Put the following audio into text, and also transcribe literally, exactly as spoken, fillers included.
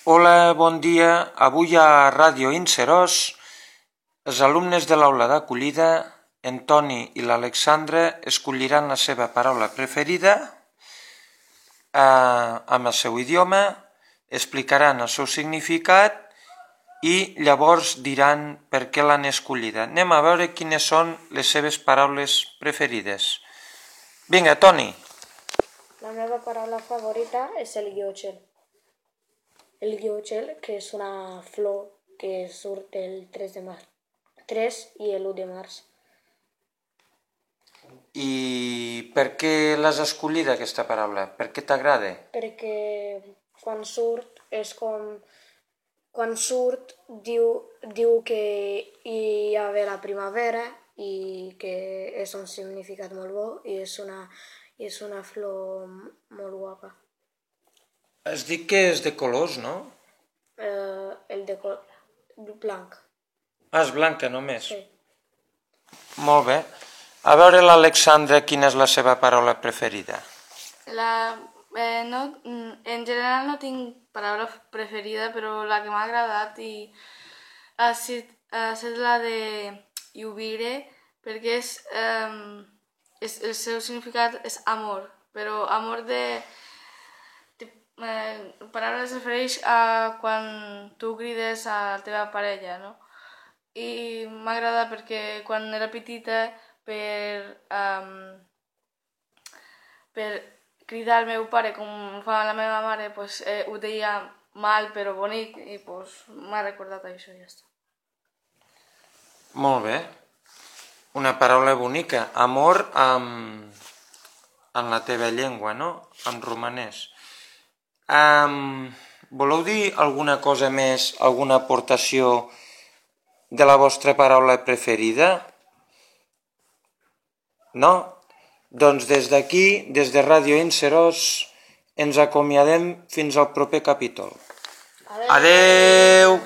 Hola, bon dia. Avui a Ràdio Inserós, els alumnes de l'aula d'acollida, en Toni i l'Alexandra, escolliran la seva paraula preferida eh, amb el seu idioma, explicaran el seu significat i llavors diran per què l'han escollida. Anem a veure quines són les seves paraules preferides. Vinga, Toni. La meva paraula favorita és el guiotxel. El guiotxel, que és una flor que surt el tres de març. tres i l'u de març. I per què l'has escollida, aquesta paraula? Per què t'agrada? Perquè quan surt és com... Quan surt diu, diu que hi ha la primavera i que és un significat molt bo i és una, és una flor molt guapa. Has dit que és de colors, no? Eh, el de col... blanc. Ah, és blanca només? Sí. Molt bé. A veure l'Alexandra, quina és la seva paraula preferida? La, eh, no, en general no tinc paraula preferida, però la que m'ha agradat i ha estat, ha estat la de iubire, perquè és, eh, és, el seu significat és amor, però amor de... de eh, la paraula es refereix a quan tu crides a la teva parella, no? I m'agrada perquè quan era petita per, um, per cridar al meu pare com fa la meva mare, pues, eh, ho deia mal però bonic i pues, m'ha recordat això i ja està. Molt bé. Una paraula bonica. Amor amb, en la teva llengua, no? En romanès. Um, voleu dir alguna cosa més, alguna aportació de la vostra paraula preferida? No? Doncs des d'aquí, des de Ràdio Inserós, ens acomiadem fins al proper capítol. Adeu! Adeu!